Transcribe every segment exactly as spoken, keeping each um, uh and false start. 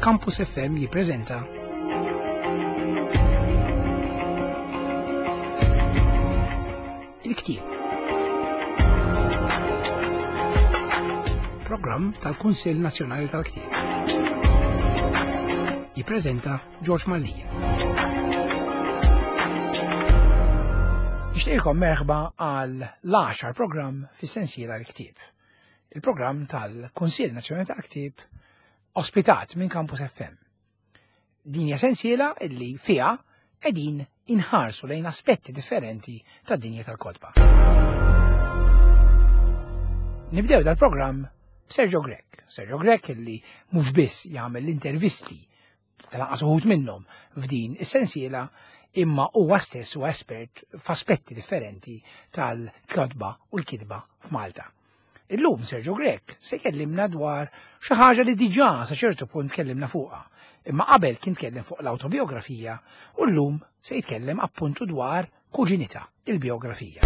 Campus F M jippreżenta Il-Ktieb. Programm tal-Kunsill Nazzjonali tal-Ktieb. Jippreżenta George Mallia. Nixtieqilkom merħba għal l-għaxar programm fis-sensiela l-Ktieb. Il-programm tal-Kunsill Nazzjonali tal-Ktieb ospitat minn Campus F M. Din hija sensiela illi fiha qegħdin inħarsu lejn aspetti differenti tad-dinja tal-kotba. Nibdew dal-programm b'Sergio Grech. Sergio Grech illi mhux biss jagħmel l-intervisti tal-anqas uħud minnhom f'din is-sensiela, imma huwa stess huwa espert f'aspetti differenti tal-kotba u l-kitba f'Malta. Illum Sergio Grech se jkellimna dwar xi ħaġa li diġà sa ċertu punt tkellimna fuqha, imma qabel kien tkellem fuq l-awtobiografija u llum se jitkellem appuntu dwar kuġinità, il-biografija.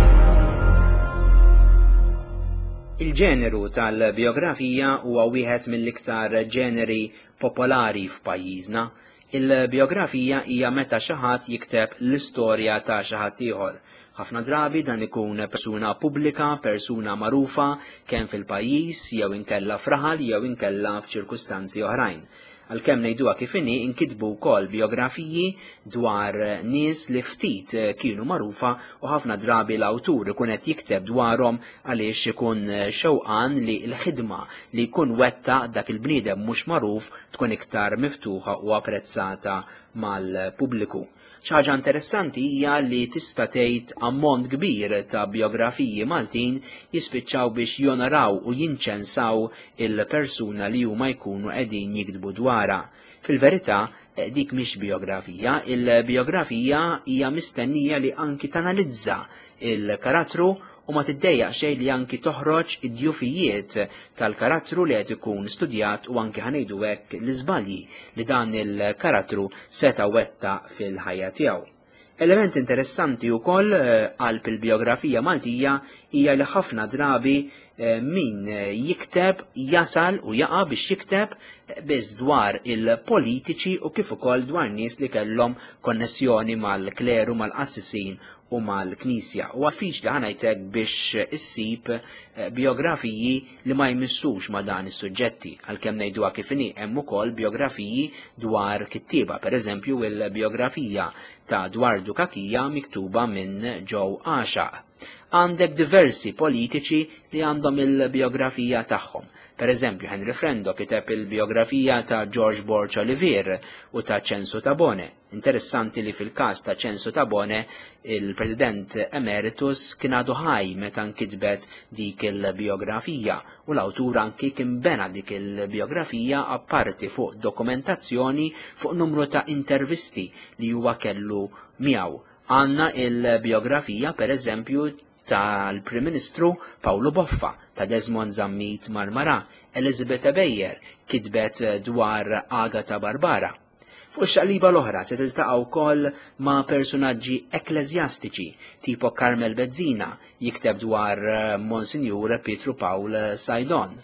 Il-ġeneru tal-biografija huwa wieħed mill-iktar ġeneri popolari f'pajjiżna. Il-biografija hija meta xi ħadd jikteb l-istorja ta' xi ħadd ieħor. Ħafna drabi dan ikun persuna pubblika, persuna magħrufa kemm fil-pajjiż jew inkella f'raħal jew inkella f'ċirkustanzi oħrajn. Għalkemm ngħiduha kif inhi, inkitbu wkoll biografiji dwar nies li ftit kienu magħrufa u ħafna drabi l-awtur ikun qed jikteb dwarhom għaliex ikun xewqan li l-ħidma li jkun wettaq dak il-bniedem mhux magħruf tkun iktar miftuħa u apprezzata mal-pubbliku. Xi ħaġa interessanti hija li tista' tgħid ammont kbir ta' biografiji Maltin jispiċċaw biex jonoraw u jinċensaw il-persuna li huma jkunu qegħdin jiktbu dwarha. Fil-verità, dik mhix biografija, il-biografija hija mistennija li anki tanalizza il-karattru u ma tiddejjaq xejn li anki toħroġ id-djufijiet tal-karattru li qed ikun studjat u anki ħanejdu hekk l-iżbalji li dan il-karattru seta' wettaq fil-ħajja tiegħu. Element interessanti wkoll, eh, qalb il-biografija Maltija hija li ħafna drabi, eh, min jikteb jasal u jaqa' biex jikteb, eh, biss dwar il-politiċi u kif ukoll dwar nies li kellhom konnessjoni mal-kleru, mal-qassisin u mal-knisja. U għaffiċ li ħanajtek biex issib, eh, biografiji li ma jmissux ma dan is-suġġetti, għalkemm ngħiduha kif inhi hemm ukoll biografiji dwar kittieba, pereżempju il-biografija ta' Dwardu Cachia miktuba minn Joe Għaxaq. Għandek diversi politiċi li għandhom il-biografija tagħhom. Per eżempju, Henry Frendo kiteb il-biografija ta' George Borg Olivier u ta' Ċensu Tabone. Interessanti li fil-każ ta' Ċensu Tabone, il-President Emeritus kien għadu ħaj meta nkitbet dik il-biografija u l-awtur anki kien bena dik il-biografija apparti fuq dokumentazzjoni fuq numru ta' intervisti li huwa kellu miegħu. Għanna il-biografija, per eżempju, tal-Prim Ministru Paolo Boffa, ta' Desmond Zammit Marmara, Elizabeth Ebejer kitbet dwar Agata Barbara. Fuq xaqliba l-oħra se tiltaqa' wkoll ma' personaġġi ekkleżjastiċi tipo Carmel Bezzina jikteb dwar Monsinjur Pietru Pawl Saydon.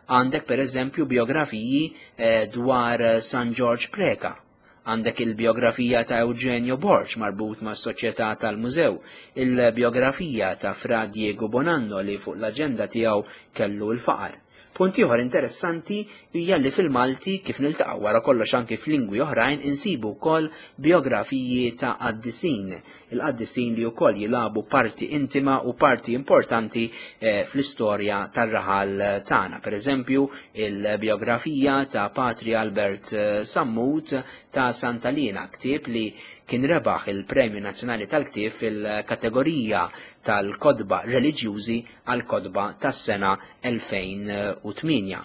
Għandek per eżempju biografiji, eh, dwar San George Preca. Għandek il-biografija ta' Eugenio Borg marbut ma' Soċjetà tal-Mużew, il-biografija ta' Fra Diego Bonanno li fuq l-aġenda tiegħu kellu l-faqar. Punt ieħor interessanti hija li fil-Malti kif niltaqgħu wara kollox anki f'lingwi oħrajn insibu wkoll biografiji ta' qaddisin, il-qaddisin li wkoll jilagħbu parti intima u parti importanti, eh, fl-istorja tar-raħal tagħna. Per eżempju, il-biografija ta' Patri Albert, eh, Sammut ta' Sant'Alina, ktieb li kien rebaħ il-Premju Nazzjonali tal-Ktieb fil-kategorija tal-kodba reliġjużi għal-kodba tas-sena elfejn u tmienja.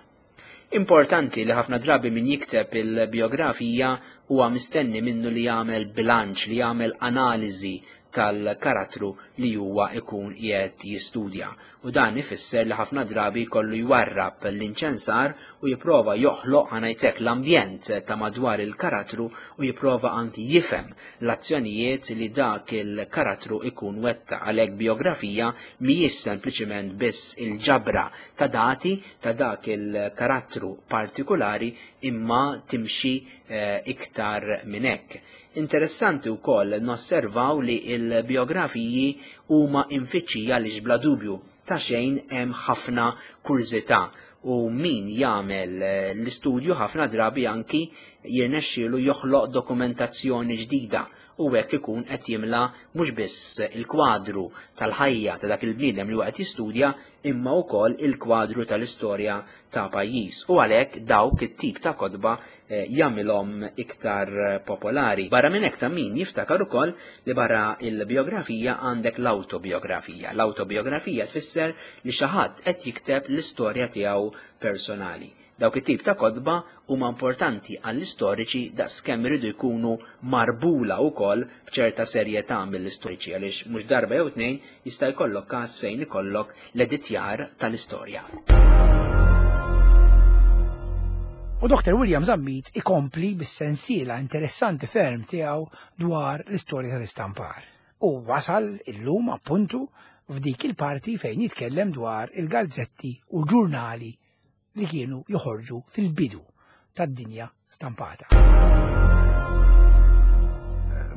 Importanti li ħafna drabi min jikteb il-biografija huwa mistenni minnu li jagħmel bilanċ, li jagħmel analiżi tal-karattru li huwa ikun qiegħed jistudja. U dan ifisser li ħafna drabi jkollu jwarrab l-inċensar u jipprova joħloq, ħa ngħidlek, l-ambjent ta' madwar il-karattru u jipprova anki jifhem l-azzjonijiet li dak il-karattru ikun wettaq. Għalhekk biografija mhijiex sempliċiment biss il-ġabra ta' dati ta' dak il-karattru partikolari, imma timxi eh, iktar minn hekk. Interessanti wkoll nosservaw li il-biografiji huma imfittxija li bla dubju ta' xejn hemm ħafna kurżità, u min jagħmel eh, l-istudju ħafna drabi anki jirnexxielu joħloq dokumentazzjoni ġdida u hekk ikun qed jimla mhux biss il-kwadru tal-ħajja ta' dak il-bniedem li huwa qed jistudja, imma wkoll il-kwadru tal-istorja ta' pajjiż. U għalhekk dawk it-tip ta' kotba eh, jagħmilhom iktar popolari. Barra minn hekk ta' min jiftakar ukoll li barra il-biografija għandek l-autobiografija. L-autobiografija tfisser li xi ħadd qed jikteb l-istorja tiegħu personali. Dawk it-tip ta' kotba huma importanti għall-istoriċi daqskemm iridu jkunu marbula wkoll b'ċerta serjetà mill-istoriċi, għaliex mhux darba jew tnejn jista' jkollok każ fejn ikollok l-editjar tal-istorja. U Doktor William Zammit ikompli bis-sensiela interessanti ferm tiegħu dwar l-istorja tal-istampar. U wasal illum appuntu f'dik il-parti fejn jitkellem dwar il-gazzetti u l-ġurnali li kienu joħorġu fil-bidu tad-dinja stampata.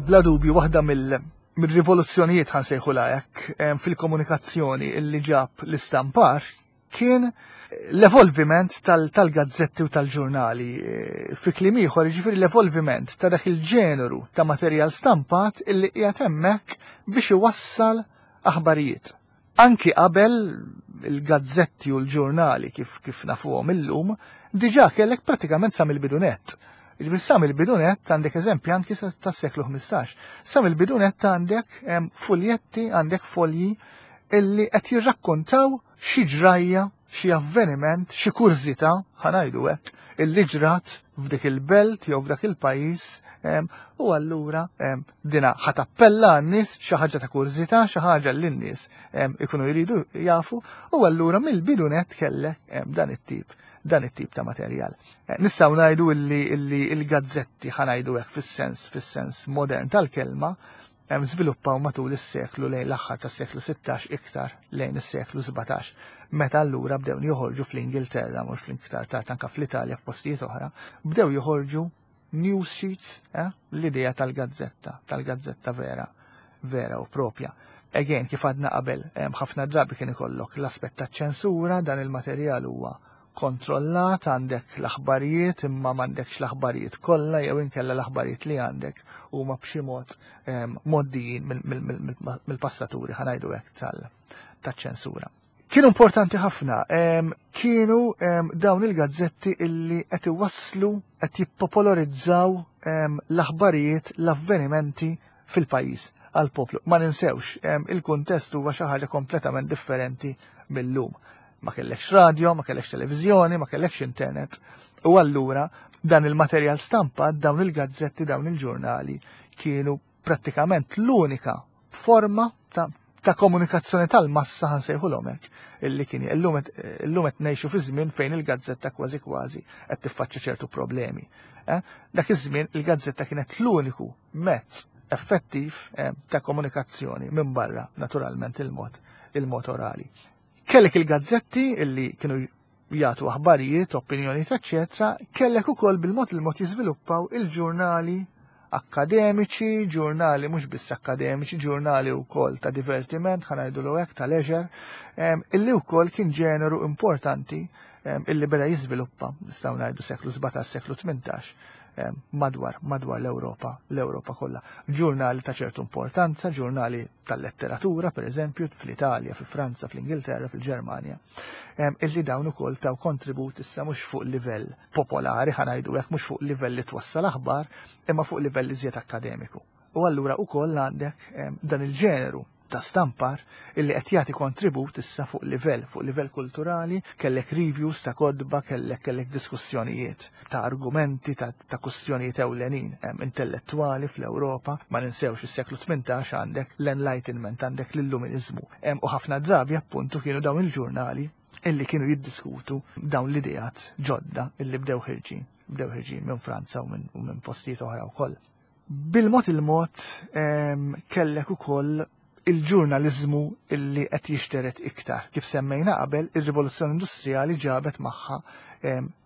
Bla dubju waħda mill-rivoluzzjonijiet ħa nsejħulha hekk fil-komunikazzjoni illi ġab l-istampar kien l-evolviment tal-gazzetti u tal-ġurnali. Fi kliem ieħor, jiġifieri l-evolviment ta' dak il-ġeneru ta' materjal stampat illi qiegħed hemmhekk biex iwassal aħbarijiet. Anki qabel il-gazzetti u l-ġurnali kif kif nafuhom illum, diġà kellek pratikament sa mill-bidunet. Jiġifieri sa mill-bidunet għandek eżempji anki tas-seklu ħmistax. Sa mill-bidunet għandek fuljetti, għandek folji illi qed jirrakkontaw xi ġrajja, xi avveniment, xi kurżità, ħa ngħidu hekk, illi ġrat f'dik il-belt jew f'dak il-pajjiż, u allura dina ħa tappella għan-nies xi ħaġa ta' kurżità, xi ħaġa li n-nies ikunu jridu jafu, u allura mill-bidunet kellek dan it-tip, dan it-tip ta' materjal. Nistgħu ngħidu illi illi il-gazzetti, ħa ngħidu hekk fis-sens fis-sens modern tal-kelma, żviluppaw matul is-seklu lejn l-aħħar tas-seklu sittax iktar lejn is-seklu sbatax, meta allura bdew joħorġu fl-Ingilterra, mhux fl-iktar tard anke fl-Italja f'postijiet oħra, bdew joħorġu news sheets, eh, l-idea tal-gazzetta, tal-gazzetta vera, vera u propja. Again, kif għadna qabel, ħafna drabi kien ikollok l-aspett taċ-ċensura, dan il-materjal huwa kontrollat, għandek l-aħbarijiet imma m'għandekx l-aħbarijiet kollha jew inkella l-aħbarijiet li għandek huma b'xi mod mgħoddijin mill-passaturi, ħa ngħidu hekk, taċ-ċensura. Kienu importanti ħafna, kienu dawn il-gazzetti illi qed iwasslu, qed jippopolarizzaw l-aħbarijiet, l-avvenimenti fil-pajjiż għall-poplu. Ma ninsewx, il-kuntest huwa xi ħaġa kompletament differenti mill-lum. Ma kellekx radio, ma kellekx televiżjoni, ma kellekx internet. U allura dan il-materjal stampat, dawn il-gazzetti, dawn il-ġurnali kienu prattikament l-unika forma ta', ta' komunikazzjoni tal-massa, ħa nsejħulhom hekk, illi kien illum qed ngħixu fi żmien fejn il-gazzetta kważi kważi qed tiffaċċja ċertu problemi. Eh? Dak iż-żmien il-gazzetta kienet l-uniku mezz effettiv, eh, ta' komunikazzjoni minn barra naturalment il-mod, il-mod orali. Kellek il-gazzetti illi kienu jagħtu aħbarijiet, opinjonijiet, eċċetera, kellek ukoll bil-mod il-mod jiżviluppaw il-ġurnali akademiċi, ġurnali mhux biss akademiċi, ġurnali wkoll ta' divertiment, ħa ngħidu hekk, ta' leisure, illi wkoll kien ġeneru importanti, illi beda jiżviluppa, nistgħu ngħidu seklu sbatax, seklu tmintax, madwar, madwar l-Ewropa, l-Ewropa kollha. Ġurnali ta' ċertu importanza, ġurnali tal-letteratura, per eżempju, fl-Italja, fi Franza, fl-Ingilterra, fil-Ġermanja, illi dawn ukoll taw kontribut issa mhux fuq livell popolari, ħa ngħidu hekk, mhux fuq livell li twassal aħbar, imma fuq livell iżjed akademiku. U allura ukoll għandek dan il-ġeneru ta' stampar illi qed jagħti kontribut issa fuq livell, fuq livell kulturali, kellek reviews ta' kotba, kellek kellek diskussjonijiet ta' argumenti, ta', ta' kwistjonijiet ewlenin intellettwali fl-Ewropa. Ma ninsewx is-seklu tmintax għandek l-Enlightenment, għandek l-Illuminizmu. U ħafna drabi appuntu kienu dawn il-ġurnali illi kienu jiddiskutu dawn l-ideat ġodda illi bdew ħirġin, bdew ħirġin minn Franza u minn, u minn postijiet oħra wkoll. Bil-mod il-mod kellek ukoll il-ġurnaliżmu illi qed jixteret iktar. Kif semmejna qabel, ir-rivoluzzjoni industrijali ġabet magħha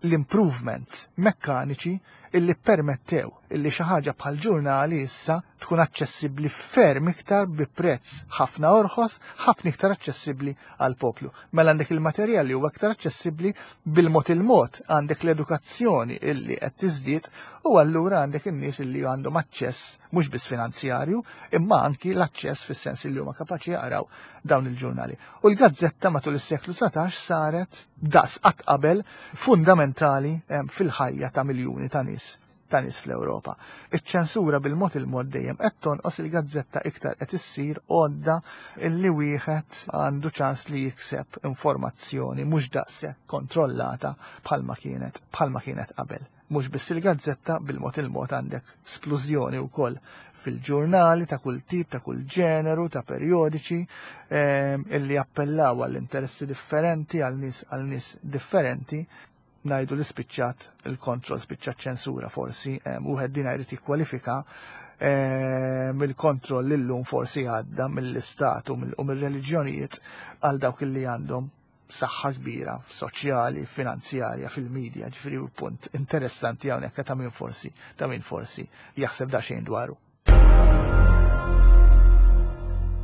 l-improvements mekkaniċi illi permettew illi xi ħaġa bħal ġurnali issa tkun aċċessibbli ferm iktar bi prezz ħafna orħos, ħafna iktar aċċessibbli għal poplu. Mela għandek il-materjal li huwa iktar aċċessibbli, bil-mod il-mod għandek l-edukazzjoni illi qed tiżdied, u allura għandek in-nies illi għandhom aċċess mhux biss finanzjarju, imma anki l-aċċess fis-sens illi huma kapaċi jaqraw dawn il-ġurnali. U l-gazzetta matul is-seklu satax saret daqs qatt qabel fundamentali fil-ħajja ta' miljuni ta' nies ta' nies fl-Ewropa. Iċ-ċensura bil-mod il-mod dejjem qed tonqos, il-gazzetta iktar qed issir għodda illi wieħed għandu ċans li jikseb informazzjoni mhux daqshekk kontrollata bħalma kienet bħalma kienet qabel. Mhux biss il-gazzetta, bil-mod il-mod għandek splużjoni wkoll fil-ġurnali ta' kull tip, ta' kull ġeneru, ta' periodiċi illi appellaw għall interessi differenti, għal nies għal nies differenti. Ngħidu li spiċċat il-kontroll, spiċċat ċensura forsi, wieħed din jrid jikkwalifika mill-kontroll illum forsi għadda mill-istat u mill-reliġjonijiet għal dawk illi għandhom saħħa kbira soċjali, finanzjarja, fil-medja, ġifieri punt interessanti hawnhekk ta' min forsi, ta' min forsi jaħseb daqsxejn dwaru.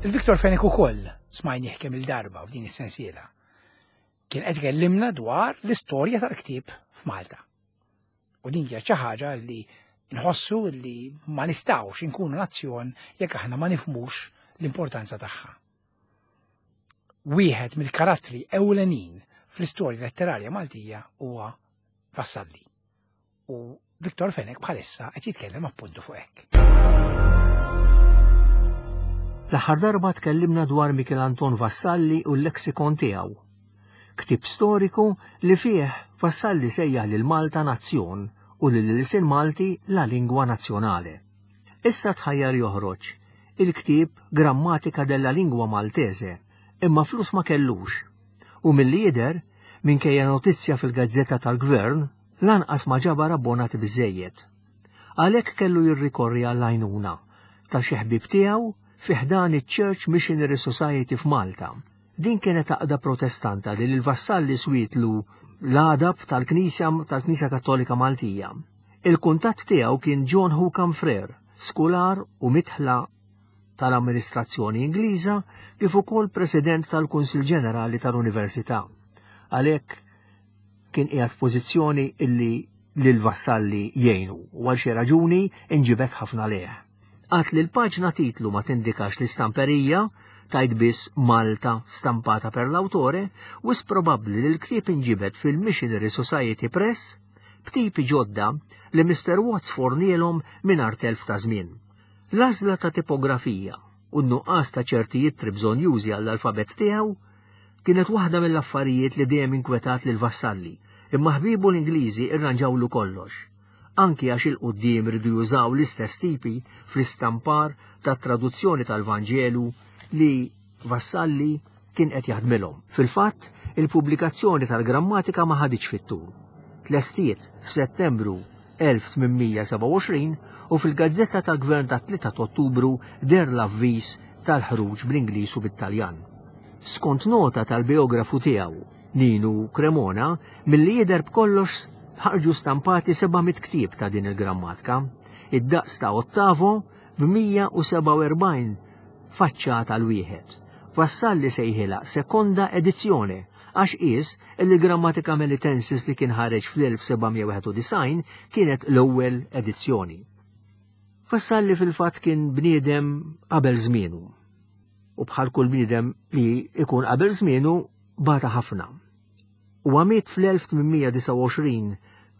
Il-Victor Fenech ukoll smajnieh kemm il-darba f'din is-sensiela. Kien qed ikellimna dwar l-istorja tal-ktieb f'Malta. U din hija xi ħaġa li nħossu li ma nistgħux inkunu nazzjon jekk aħna ma nifhmux l-importanza tagħha. Wieħed mill-karattri ewlenin fl-istorja letterarja Maltija huwa Vassalli. U Victor Fenech bħalissa qed jitkellem appuntu fuq hekk. L-aħħar darba tkellimna dwar Michel Anton Vassalli u l-leksikon tiegħu. Ktieb storiku li fih Vassalli sejjaħ lil Malta nazzjon u lil ilsien Malti la lingwa nazzjonale. Issa tħajjar joħroġ il-ktieb Grammatica della Lingua Maltese, imma flus ma kellux. U milli jidher, minkejja notizja fil-gazzetta tal-Gvern, lanqas ma ġabar abbonati biżejjed. Għalhekk kellu jirrikorri għall-għajnuna ta' xi ħbieb tiegħu fi ħdan iċ-Church Missionary Society f'Malta. Din kienet għaqda protestanta li l-Vassalli swietlu l-għadab tal-Knisja tal-Knisja Kattolika Maltija. Il-kuntatt tiegħu kien John Hookham Frere, skular u mitħla tal-amministrazzjoni Ingliża kif ukoll president tal-Kunsill Ġenerali tal-Università. Għalhekk kien qiegħed f'pożizzjoni illi lil Vassalli jgħinu u għal xi raġuni inġibet ħafna leh. Għad li l-paġna titlu ma tindikax l-istamperija, tajt biss Malta stampata per l-autore, wis probabbli li l-ktieb inġibet fil-Missionary Society Press b'tipi ġodda li mister Watts fornielhom mingħajr telf ta' żmien. L-għażla ta' tipografija u n-nuqqas ta' ċerti ittri bżonjużi għall-alfabet tiegħu kienet waħda mill-affarijiet li dejjem inkwetat lil Vassalli, imma ħbibu l-Ingliżi irranġawlu kollox, anki għax il-qudiem ridu jużaw l-istess tipi fl-istampar tat-traduzzjoni tal-Vanġelu li Vassalli kien qed jaħdmilhom. Fil-fatt, il-pubblikazzjoni tal-grammatika ma ħaditx fit-tul. Tlestiet f'Settembru elf tmien mija sebgħa u għoxrin u fil-Gazzetta tal-Gvern ta' tlieta ta' Ottubru der l-avviż tal-ħruġ bl-Ingliż u bit-Taljan. Skont nota tal-biografu tiegħu, Ninu Cremona, milli jidher b'kollox ħarġu stampati seba' mitt ktieb ta' din il-grammatika, id-daqs ta' ottavo b'mija u sebgħa u erbgħin faċċata l-wieħed. Vassalli sejħilha sekonda edizzjone għax qis li l-Grammatica Melitensis li kien ħareġ fl-elf seba' mija wieħed u disgħin kienet l-ewwel edizzjoni. Vassalli fil-fatt kien bniedem qabel żmienu. U bħal kull bniedem li ikun qabel żmienu bata ħafna. U għamiet fl-elf tmien mija disgħa u għoxrin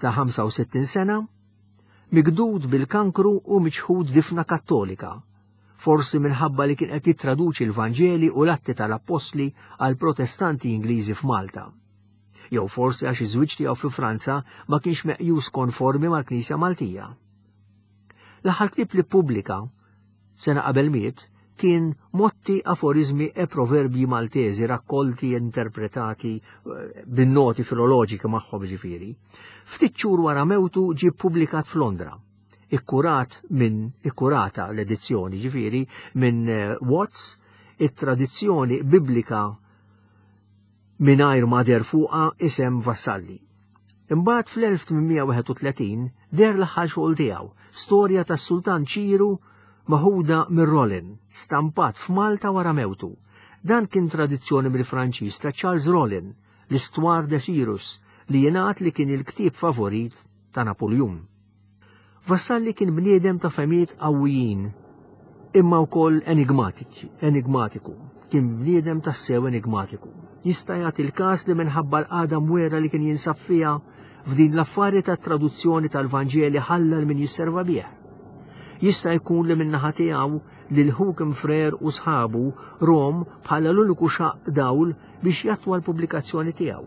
ta' ħamsa u sittin sena, migdud bil-kankru u miċħud difna kattolika, Forsi minħabba li kien qed jittraduċi l-Vanġeli u l-Atti tal-Appostli għal Protestanti Ingliżi f'Malta. Jew forsi għax iż-żwieġ tiegħu fi Franza ma kienx meqjus konformi mal-Knisja Maltija. L-aħħar ktieb li ppubblika sena qabel miet kien Motti, Aforizmi e Proverbji Maltesi raccolti e interpretati eh, bin-noti filoloġiki magħhom ġifieri. Ftit xhur wara mewtu ġie ppubblikat f'Londra. Ikkurat minn ikkurata l-edizzjoni ġifieri minn eh, Watts, it-tradizzjoni biblika mingħajr ma deher fuqha isem Vassalli. Imbagħad fl-elf tmien mija wieħed u tletin deher l-aħħar xogħol tiegħu, Storja tas-Sultan Ċiru maħuda minn Rollin, stampat f'Malta wara mewtu. Dan kien traduzzjoni mill-Franċiż ta' Charles Rollin, l-Histoire de Cyrus, li jingħad li kien il-ktieb favorit ta' Napoleon. Vassalli kien bniedem ta' fehmiet qawwijin, imma wkoll enigmatiku. Kien bniedem tassew enigmatiku. Jista' jagħti l-każ li minħabba l-qagħda mwera li kien jinsab fiha f'din l-affari ta' traduzzjoni tal-Vanġeli ħalla min jisserva bih. Jista' jkun li min-naħa tiegħu lil Hookham Frere u sħabu rahom bħala l-uniku xaqq dawl biex jattwa l-pubblikazzjoni tiegħu.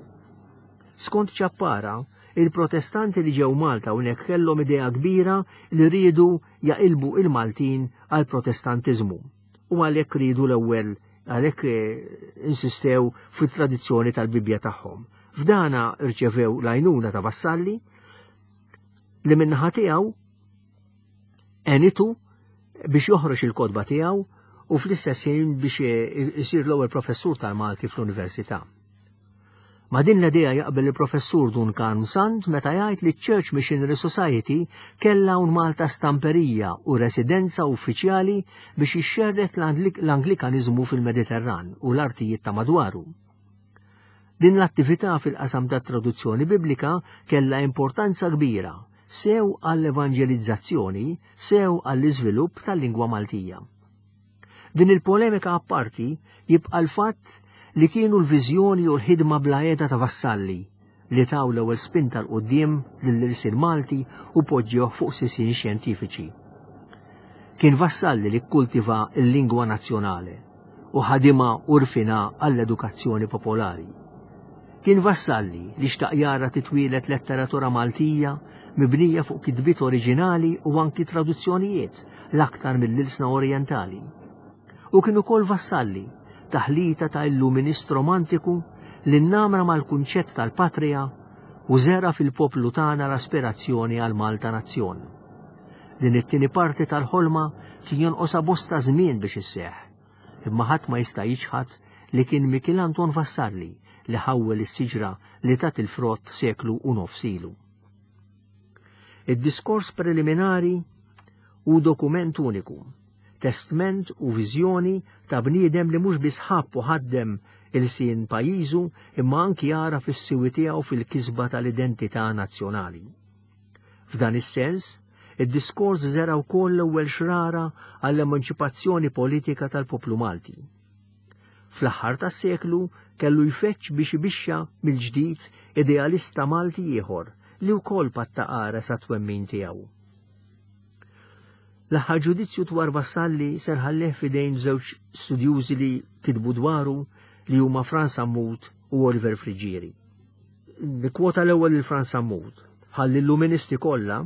Skont Ċappara, il-Protestanti li ġew Malta hawnhekk kellhom idea kbira li riedu jaqilbu il-Maltin għal Protestantiżmu u għalhekk riedu l-ewwel għalhekk eh, insistew fit-tradizzjoni tal-Bibja tagħhom. F'dana rċevew l-għajnuna ta' Vassalli li min-naħa tiegħu għenitu biex joħroġ il-kotba tiegħu u fl-istess ħin biex isir l-ewwel professur tal-Malti fl-Università. Ma' din l-idea jaqbel il-professur Dun Karm Sant meta jgħid li Church Missionary Society kellha hawn Malta stamperija u residenza uffiċjali biex ixxerred l-Anglikanizmu fil-Mediterran u l-artijiet ta' madwaru. Din l-attività fil-qasam ta' traduzzjoni biblika kella importanza kbira sew għall-evangelizzazzjoni, sew għall-iżvilupp tal-lingwa Maltija. Din il-polemika apparti, jibqa' l-fatt li kienu l-viżjoni u l-ħidma bla heda ta' Vassalli li taw l-ewwel spinta 'l quddiem lill-ilsien Malti u poġġewh fuq sisien xjentifiċi. Kien Vassalli li kultiva l-lingwa nazzjonali u ħadimha u rfinha għall-edukazzjoni popolari. Kien Vassalli li xtaq jara titwielet letteratura Maltija mibnija fuq kitbiet oriġinali u anki traduzzjonijiet l-aktar mill-ilsna orientali. U kien ukoll Vassalli, taħlita ta' illuminist romantiku, li nnamra mal-kunċett tal-patria u żera' fil-poplu tagħna l-aspirazzjoni għal Malta nazzjon. Din it-tieni parti tal-ħolma kien jonqosha bosta żmien biex isseħ, imma ħadd ma jista' jiċħad li kien Mikiel Anton Vassalli li ħawwel is-siġra li tat il-frott seklu u nofs ilu. Id-diskors preliminari hu dokument uniku, testment u viżjoni ta' bniedem li mhux biss ħabb u ħaddem ilsien pajjiżu imma anki jara fis-siwi tiegħu fil-kisba tal-identità nazzjonali. F'dan is-sens, id-diskors żera' wkoll l-ewwel xrara għall-emanċipazzjoni politika tal-poplu Malti. Fl-aħħar tas-seklu kellu jfeċċ biex ibixxa mill-ġdid idealista Malti ieħor li wkoll patta qares għat-twemmin tiegħu. L-aħħar ġudizzju dwar Vassalli se nħallih f'idejn żewġ studjużi li kitbu dwaru, li huma Frans Sammut u Oliver Friggieri. Nikkwota l-ewwel lil Frans Sammut. Bħall-illuministi kollha,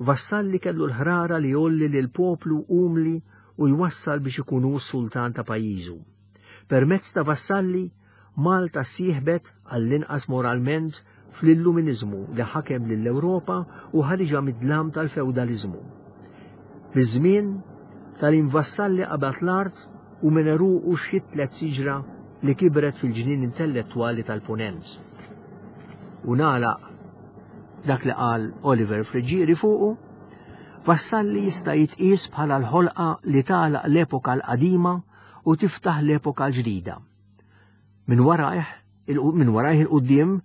Vassalli kellu l-ħrara li jgħolli lil poplu umli u jwassal biex ikunu sultan ta' pajjiżu. Permezz ta' Vassalli, Malta sieħbet għall-inqas moralment fl-illuminizmu li ħakem lill-Ewropa u ħariġha mid-dlam tal-feudalizmu. Biż-żmien tal-Vassalli qabad l-art u minn u xitlet siġra li kibret fil-ġnien intellettuali tal-Punent. U nagħlaq dak li qal Oliver Friggieri fuqu: Vassalli jista' jitqies bħala l-ħolqa li tagħlaq l-epoka l-qadima u tiftaħ l-epoka l-ġdida. Minn warajh, minn warajh 'il quddiem,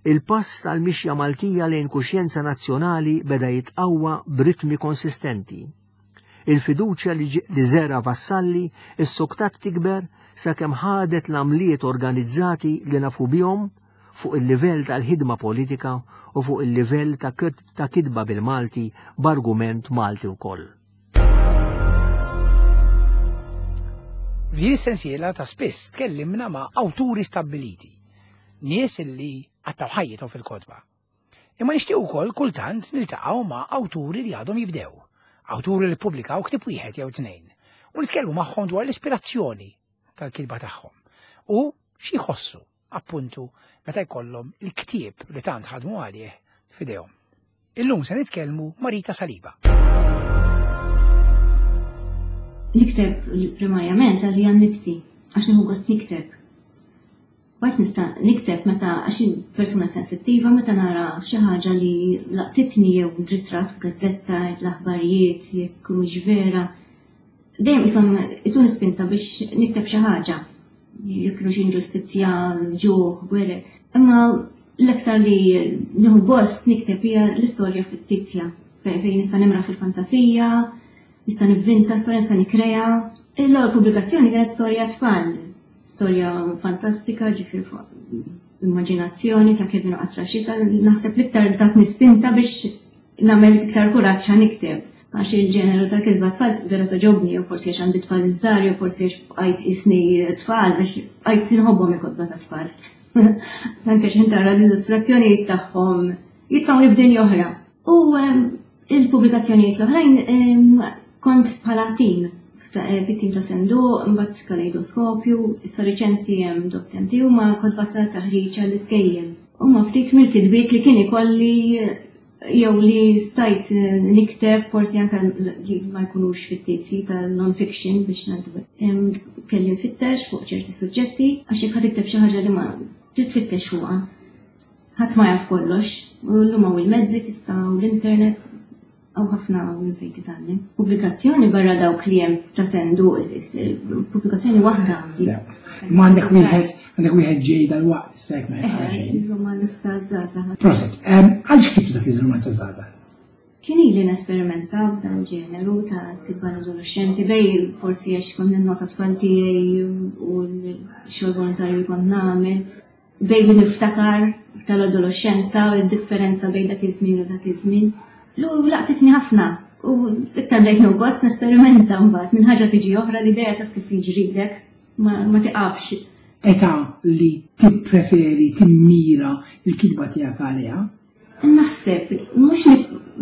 il-pass tal-mixja Maltija lejn kuxjenza nazzjonali beda jitqawwa b'ritmi konsistenti. Il-fiduċja li żera' Vassalli issoktat tikber sakemm ħadet l-għamliet organizzati li nafu bihom fuq il-livell tal-ħidma politika u fuq il-livell ta' kitba bil-Malti b'argument Malti wkoll. F'din is-sensiela ta' spiss tkellimna ma' awturi stabbiliti, nies li qattgħu ħajjithom fil-kotba. Imma nixtieq ukoll kultant niltaqgħu ma' awturi li għadhom jibdew, awturi li ppubblikaw ktieb wieħed jew tnejn, u nitkellmu magħhom dwar l-ispirazzjoni tal-kitba tagħhom u xi jħossu appuntu meta jkollhom il-ktieb li tant ħadmu għalih f'idejhom. Illum se nitkellmu ma' Rita Saliba. Nikteb primarjament għalija nnifsi, għax nieħu gost nikteb. Mbagħad nista' nikteb meta għax persuna sensittiva meta nara xi ħaġa li laqtitni jew ritratt f'gazzetta, l-aħbarijiet, jekk mhux vera. Dejjem qishom ituni spinta biex nikteb xi ħaġa. Jekk kienu xi inġustizzja, ġuħ, gwerer. Imma l-aktar li nieħu gost nikteb hija l-istorja fittizja, fejn nista' nimraħ fil-fantasija, nista' nivvinta storja, nista' nikkrea. L-ewwel pubblikazzjoni kienet storja tfal, storja fantastika, ġifieri fuq immaġinazzjoni ta' Kevin u Qatra Xita, naħseb l-iktar tatni spinta biex nagħmel iktar kuraġġ nikteb. Għax il-ġeneru ta' kitba tfal vera togħġobni, jew forsi għax għandi tfal iż-żgħar, jew forsi għax bqajt isni tfal, għax bqajt inħobbhom il-kotba ta' tfal. Anke x'ħin tara l-illustrazzjonijiet tagħhom jitfgħuni f'dinja oħra. U il-pubblikazzjonijiet l-oħrajn kont bħala tim, fit-tim ta' Senduq, imbagħad Kaleidoskopju, issa riċenti hemm Dot M T huma kotba ta' taħriġ għall-iskejjel. Huma ftit mill-kitbiet li kien ikolli jew li stajt nikteb, forsi anke li ma jkunux fittizji ta' non-fiction biex ngħidu. Kelli nfittex fuq ċerti suġġetti, għax jekk ħa tikteb xi ħaġa li ma trid tfittex fuqha. Ħadd ma jaf kollox, u llum hawn il-mezzi tista' u l-internet hawn ħafna minn fejn titgħallem. Pubblikazzjoni barra dawk li hemm ta' Senduq, pubblikazzjoni waħda għandi. Ma għandek wieħed, għandek wieħed ġej dal-waqt, issa jekk ma jaqra xejn. Il-romanz ta' żgħażagħ. Prosit, għaliex ktibtu dak iż-romanz ta' żgħażagħ? Kien ili nesperimenta b'dan il-ġeneru ta' kitba adolescenti, bej forsi għax kont ninnota tfal tiegħi u l-xogħol volontarju li kont nagħmel, bej li niftakar tal-adolescenza u d-differenza bejn dak iż-żmien u dak iż-żmien. Lu laqtitni ħafna u iktar bdejt nieħu gost nesperimenta mbagħad minn ħaġa tiġi oħra, l-idea taf kif jiġrilek ma tiqafx. Età li tippreferi timmira l-kitba tiegħek għaliha? Naħseb, mhux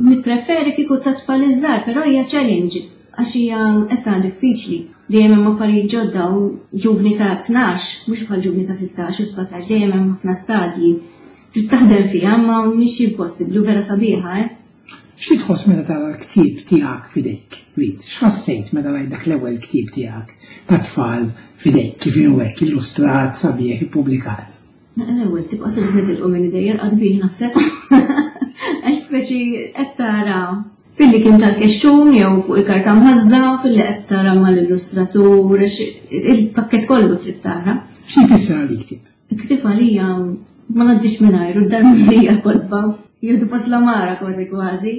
nippreferi kieku ta' tfal iż-żgħar, però hija challenge għax hija età diffiċli. Dejjem hemm affarijiet ġodda u ġuvni ta' tnax, mhux bħal ġuvni ta' sittax u sbatax, dejjem hemm ħafna stadji. Trid taħdem fiha, ma mhix impossibbli u vera sabiħa, eh? Xi tħoss meta tara l-ktieb tiegħek f'idejk, Rit? X'ħassejt meta rajt dak l-ewwel ktieb tiegħek ta' tfal f'idejk, kif inhu hekk, illustrat, sabiħ, ippubblikat? L-ewwel tibqa' se nitilqu minn idejja rqad bih naħseb. Għax speċi qed tara filli kien tal-kexxun jew fuq il-karta mħażża, filli qed tara mal-illustratur, il-pakkett kollu trid tara. Xi jfisser għalik ktieb? Il-ktieb għalija ma ngħaddix mingħajru, d-dar mimlija kotba. Jieħdu post l-għamara kważi kważi.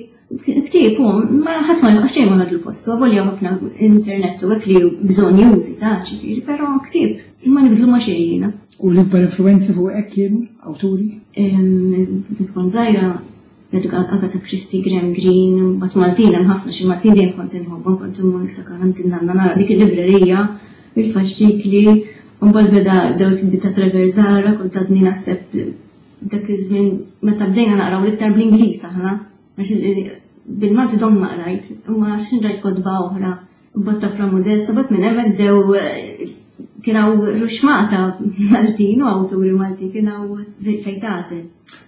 Ktieb hu, ma ħadd ma xejn ma ħadlu postu, avolja ħafna internet u hekk li bżonn jużi ta' ġifieri, però ktieb ma nibdlu ma xejn jiena. U l-ikbar influenzi fuq hekk kienu awturi? Meta tkun żgħira, Agatha Christie, Graham Greene, mbagħad Maltin hemm ħafna xi Maltin dejjem kont inħobbhom, kont immur niftakar għand in-nanna nara dik il-librerija bil-faxxikli, u mbagħad beda bdew il-kitbiet ta' Trevor Zahra, kont għadni naħseb dak iż-żmien meta bdejna naqraw l-iktar bl-Ingliż aħna, għax bil-Malti dom ma qrajt, imma għax rajt kotba oħra, mbagħad ta' Fra Modesta, mbagħad minn hemmhekk bdew kien hawn ruxmata Maltin u awturi Maltin, kien hawn fejn tagħżel.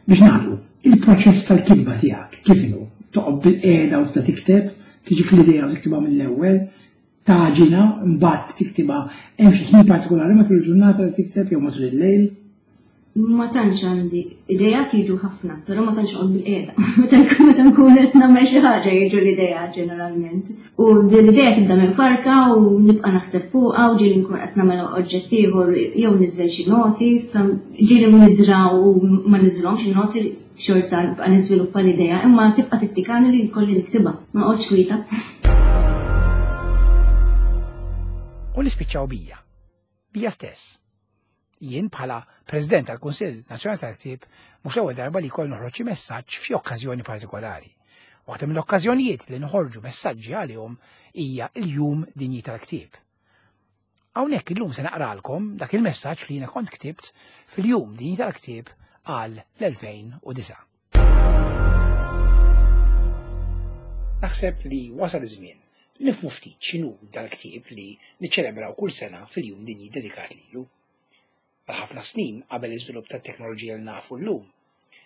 Biex nagħlqu, il-proċess tal-kitba tiegħek kif inhu? Toqgħod bil-qiegħda u tibda tikteb, tiġik l-idea u tiktibha mill-ewwel, taġina, mbagħad tiktibha, hemm xi ħin partikolari matul il-ġurnata li tikteb jew matul il-lejl? Ma tantx għandi idejat jiġu ħafna, però ma tantx noqgħod bil-qiegħda. Meta nkun meta nkun qed nagħmel xi ħaġa jiġu l-idea ġeneralment. U din l-idea tibda minn farka u nibqa' naħseb fuqha u ġieli nkun qed nagħmel oġġett ieħor jew niżel xi noti, issa ġieli nidra u ma niżilhomx in-noti, xorta nibqa' niżviluppa l-idea, imma tibqa' tittikani li jkolli niktibha, ma noqgħodx kwieta. U nispiċċaw bija, bija stess. Jien bħala President tal-Kunsill Nazzjonali tal-Ktieb mhux l-ewwel darba li jkoll noħroġ xi messaġġ f'xi okkażjoni partikolari. Waħda mill-okkażjonijiet li noħorġu messaġġi għalihom hija l-Jum Dinji tal-Ktieb. Hawnhekk illum se naqralkom dak il-messaġġ li jiena kont ktibt fil-jum dinji tal-ktieb għal l-elfejn u disgħa. Naħseb li wasal iż-żmien nifhmu ftit x'inhu dal-ktieb li niċċelebraw kull sena fil-jum dinji dedikat lilu. Għal ħafna snin qabel iż-żvilupp tat-teknoloġija li nafu llum,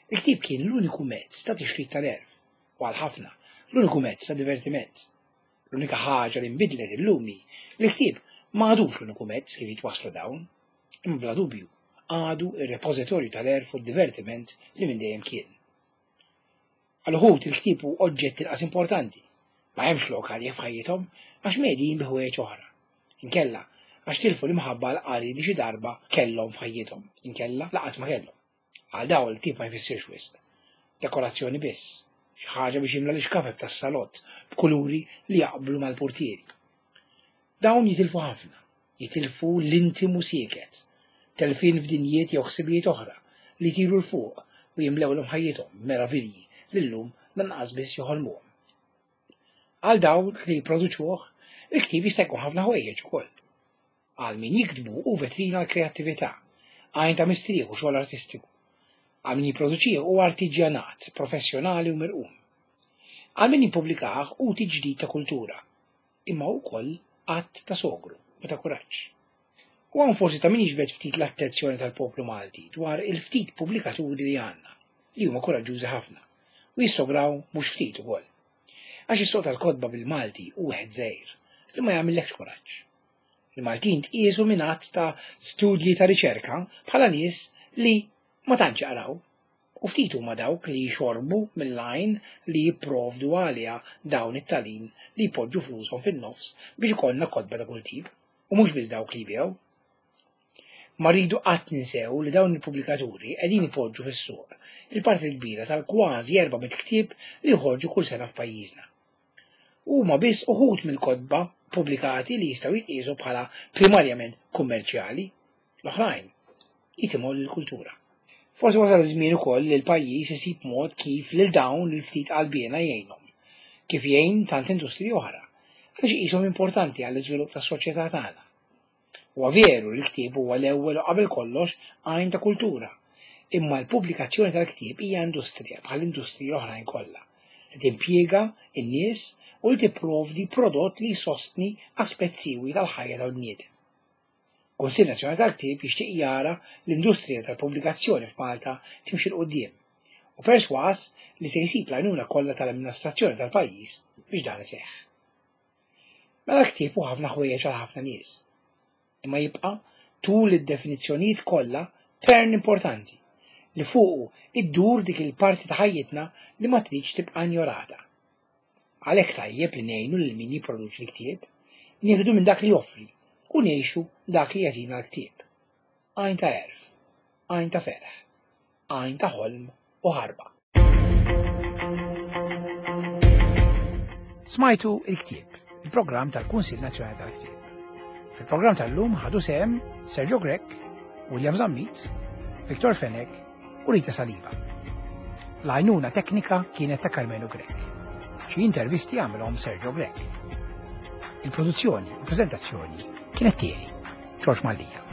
il-ktieb kien l-uniku mezz ta' tixrid tal-għerf u għal ħafna l-uniku mezz ta' divertiment. L-unika ħaġa li nbidlet illum hi li l-ktieb ma għadux l-uniku mezz kif jitwasslu dawn, imma bla dubju għadu ir-repożitorju tal-għerf u d-divertiment li minn dejjem kien. Għal uħud il-ktieb hu oġġett inqas importanti, ma hemmx lok għalih f'ħajjithom għax medin bi ħwejjeġ oħra. Inkella għax tilfu l-imħabba għall-qari li xi darba kellhom f'ħajjithom, inkella laqat ma kellhom. Għal dawn il-ktieb ma jfissirx wisq. Dekorazzjoni biss, xi ħaġa biex jimla l-ixkafef tas-salott b'kuluri li jaqblu mal-portieri. Dawn jitilfu ħafna, jitilfu l-intimu sieket, telfin f'dinjiet jew ħsibijiet oħra li jtiru 'l fuq u jimlewlhom ħajjithom meravilji li llum lanqas biss joħolmuhom. Għal dawn li jipproduċuh, il-ktieb jista' jkun ħafna ħwejjeġ ukoll. Għal min jiktbu hu vetrina għall-kreattività, għajn ta' mistrieħ u xogħol artistiku. Għal min jipproduċih hu artiġjanat, professjonali u mirqum. Għal min jippubblikah hu tiġdid ta' kultura, imma hu wkoll att ta' sogru u ta' kuraġġ. U hawn forsi ta' min jiġbed ftit l-attenzjoni tal-poplu Malti dwar il-ftit pubblikaturi li għandna, li huma kuraġġużi ħafna u jissograw mhux ftit ukoll. Għax is-suq tal-kotba bil-Malti hu wieħed żgħir li ma jagħmillekx kuraġġ. Il-Maltin tqiesu minn għadd ta' studji ta' riċerka bħala nies li ma tantx jaqraw u ftit huma dawk li jxorbu mill-għajn li jipprovdu għaliha dawn it-talin li jpoġġu flushom fin-nofs biex ikollna kotba ta' kull tip u mhux biss dawk li jbigħu. Ma rridu qatt ninsew li dawn il-pubblikaturi qegħdin ipoġġu fis-suq il-parti l-kbira tal-kważi erba' mitt ktieb li joħorġu kull sena f'pajjiżna. Huma biss uħud mill-kotba pubblikati li jistgħu jitqiesu bħala primarjament kummerċjali, l-oħrajn jitimgħu lill-kultura. Forsi wasal iż-żmien ukoll li l-pajjiż isib mod kif lil dawn il-ftit qalbiena jgħinhom, kif jgħin tant industriji oħra, għaliex iqishom importanti għall-iżvilupp tas-soċjetà tagħna. Huwa veru li l-ktieb huwa l-ewwel u qabel kollox għajn ta' kultura, imma l-pubblikazzjoni tal-ktieb hija industrija bħal industriji oħrajn kollha, li timpjega n-nies u li tipprovdi prodott li jsostni aspett siewi tal-ħajja tal-bniedem. Kunsill Nazzjonali tal-Ktieb jixtieq jara l-industrija tal-pubblikazzjoni f'Malta timxi 'l quddiem u perswas li se jsib l-għajnuna kollha tal-amministrazzjoni tal-pajjiż biex dan iseħħ. Mela l-ktieb hu ħafna ħwejjeġ għal ħafna nies, imma jibqa' tul id-definizzjonijiet kollha pern importanti li fuqu iddur dik il-parti ta' ħajjitna li ma tridx tibqa' injorata. Għalhekk tajjeb li ngħinu lil min jipproduċi l-ktieb, nieħdu minn dak li joffri u ngħixu dak li jagħtina l-ktieb. Għajn ta' għerf, għajn ta' ferħ, għajn ta' ħolm u ħarba. Smajtu il-ktieb, il-programm tal-Kunsill Nazzjonali tal-Ktieb. Fil-programm tal-lum ħadu sehem Sergio Grech, William Zammit, Victor Fenech u Rita Saliba. L-għajnuna teknika kienet ta' Carmelo Grech. Xi intervisti għamilhom Sergio Grech. Il-produzzjoni u prezentazzjoni kienet tiegħi, George Mallia.